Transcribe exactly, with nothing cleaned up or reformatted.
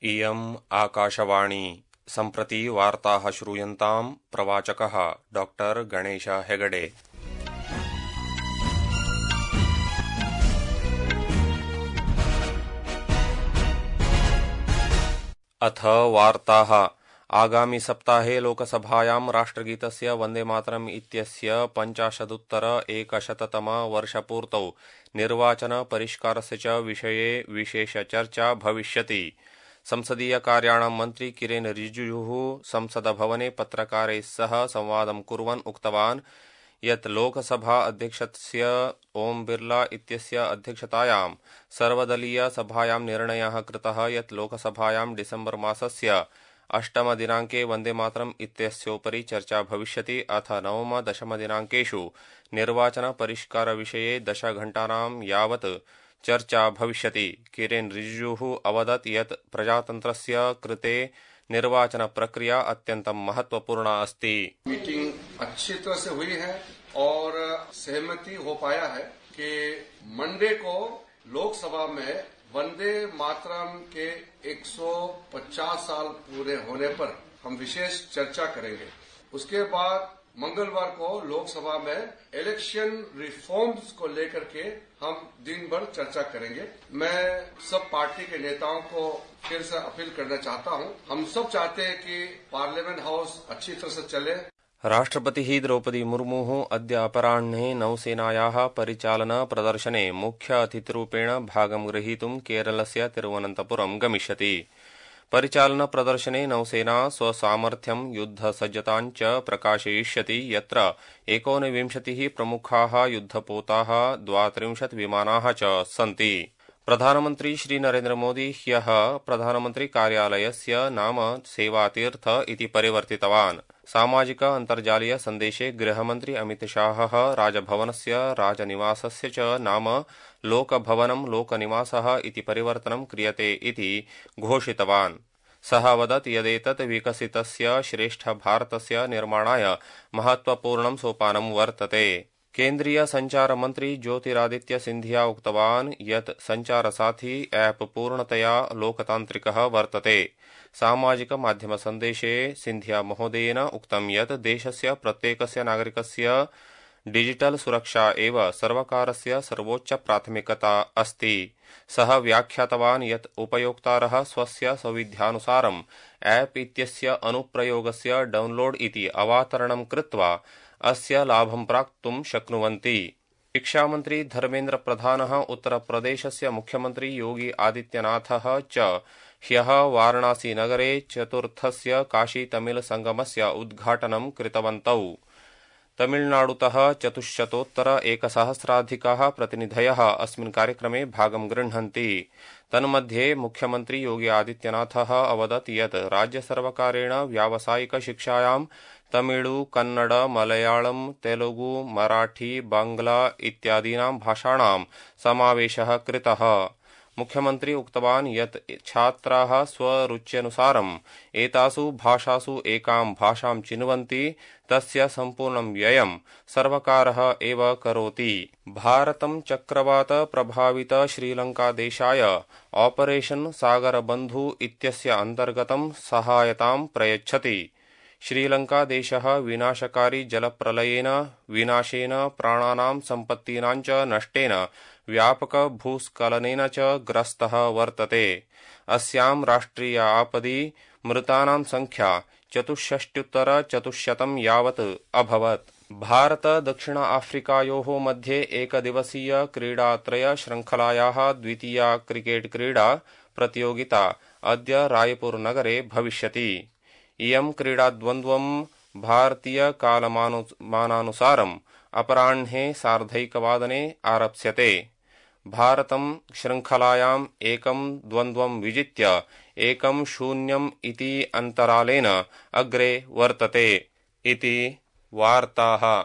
इयम् आकाशवाणी सम्प्रति वार्ताः श्रूयन्ताम् प्रवाचकः डॉक्टर गणेश हेगडे। अथ वार्ताः। आगामि सप्ताहे लोकसभायां राष्ट्रगीतस्य वन्दे मातरम् इत्यस्य पञ्चाशदुत्तर एकशततम वर्षपूर्तौ निर्वाचन परिष्कारस्य च विषये विशेषचर्चा भविष्यति। संसदीय कार्याणां मन्त्री किरेन रिजिजुः संसदभवने पत्रकारैः सह संवादं कुर्वन् उक्तवान् यत् लोकसभा अध्यक्षस्य ओम बिर्ला इत्यस्य अध्यक्षतायां सर्वदलीय सभायां निर्णयः कृतः यत् लोकसभायां डिसेम्बर मासस्य अष्टमदिनाङ्के वन्दे मातरम् इत्यस्योपरि चर्चा भविष्यति। अथ नवम दशमदिनाङ्केषु निर्वाचन परिष्कारविषये दशघण्टानां यावत् चर्चा भविष्यति। किरेन रिजिजुः अवदत् यत् प्रजातन्त्रस्य कृते निर्वाचन प्रक्रिया अत्यन्तं महत्वपूर्णा अस्ति। मीटिंग अच्छी तरह से हुई है और सहमति हो पाया है कि मंडे को लोकसभा में वंदे मातरम के एक सौ पचास साल पूरे होने पर हम विशेष चर्चा करेंगे। उसके बाद मंगलवार को लोकसभा में इलेक्शन रिफॉर्म्स को लेकर के हम दिन भर चर्चा करेंगे। मैं सब पार्टी के नेताओं को फिर से अपील करना चाहता हूं, हम सब चाहते हैं कि पार्लियामेंट हाउस अच्छी तरह से चले। राष्ट्रपतिः द्रौपदी मुर्मुः अद्य अपराह्णे नौसेनायाः परिचालन प्रदर्शने मुख्य अतिथिरूपेण भागं ग्रहीतुं केरलस्य तिरुवनन्तपुरं गमिष्यति। परिचालन प्रदर्शने नौसेना स्वसामर्थ्यं युद्धसज्जतां च प्रकाशयिष्यति, यत्र एकोनविंशतिः प्रमुखाः युद्धपोताः द्वात्रिंशत् विमानाः च सन्ति। प्रधानमन्त्री श्री नरेन्द्र मोदी ह्यः प्रधानमन्त्री कार्यालयस्य नाम सेवातीर्थ इति परिवर्तितवान्। सामाजिक अन्तर्जालीय सन्देशे गृहमन्त्री अमितशाहः राजभवनस्य राजनिवासस्य च नाम लोकभवनं लोकनिवासः इति परिवर्तनं क्रियते इति घोषितवान्। सः वदत् यदेतत् विकसितस्य श्रेष्ठभारतस्य निर्माणाय महत्वपूर्णं सोपानं वर्तते। केन्द्रीय संचार मन्त्री ज्योतिरादित्य सिन्धिया उक्तवान् यत् संचारसाथी ऐप् पूर्णतया लोकतान्त्रिकः वर्तते। सामाजिक माध्यम सन्देशे सिन्धिया महोदयेन उक्तं यत् देशस्य प्रत्येकस्य नागरिकस्य डिजिटल सुरक्षा एव सर्वकारस्य सर्वोच्च प्राथमिकता अस्ति। सः व्याख्यातवान् यत् उपयोक्तारः स्वस्य सौविध्यानुसारम् ऐप् इत्यस्य अनुप्रयोगस्य डाउनलोड इति अवातरणं कृत्वा अस्य लाभं प्राप्तुं शक्नुवन्ति। शिक्षामन्त्री धर्मेन्द्र प्रधानः उत्तरप्रदेशस्य मुख्यमन्त्री योगी आदित्यनाथः च ह्यः वाराणसी नगरे चतुर्थस्य काशी तमिल संगमस्य उद्घाटनं कृतवन्तौ। तमिलनाडुतः चतुश्शतोत्तर एकसहस्राधिकाः प्रतिनिधयः अस्मिन् कार्यक्रमे भागं गृह्णन्ति। तन्मध्ये मुख्यमन्त्री योगी आदित्यनाथः अवदत् यत् राज्यसर्वकारेण व्यावसायिक शिक्षायां तमिळु, कन्नड, मलयाळं, तेलुगु, मराठी, बांग्ला इत्यादीनां भाषाणां समावेशः कृतः। मुख्यमन्त्री उक्तवान् यत् छात्राः स्वरुच्यनुसारम् एतासु भाषासु एकां भाषां चिन्वन्ति, तस्य सम्पूर्णं व्ययं सर्वकारः एव करोति। भारतं चक्रवात प्रभावित श्रीलङ्कादेशाय ऑपरेशन सागरबन्धु इत्यस्य अन्तर्गतं सहायतां प्रयच्छति। श्रीलङ्कादेशः विनाशकारी जलप्रलयेन विनाशेन प्राणानां सम्पत्तीनां च नष्टेन व्यापक भूस्खलनेन च ग्रस्तः वर्तते। अस्यां राष्ट्रिय आपदि मृतानां संख्या चतुष्षष्ट्युत्तर चतुश्शतं यावत् अभवत्। भारत दक्षिण आफ्रिकायोः मध्ये एकदिवसीय क्रीडात्रय श्रृंखलायाः द्वितीया क्रिकेट क्रीडा प्रतियोगिता अद्य रायपुर नगरे भविष्यति। इयं क्रीडाद्वन्द्वं भारतीय कालमानानुसारम् अपराह्णे सार्धैकवादने आरप्स्यते। भारतं श्रृंखलायाम् एकं द्वन्द्वं विजित्य एकं शून्यम् इति अन्तरालेन अग्रे वर्तते इति वार्ताः।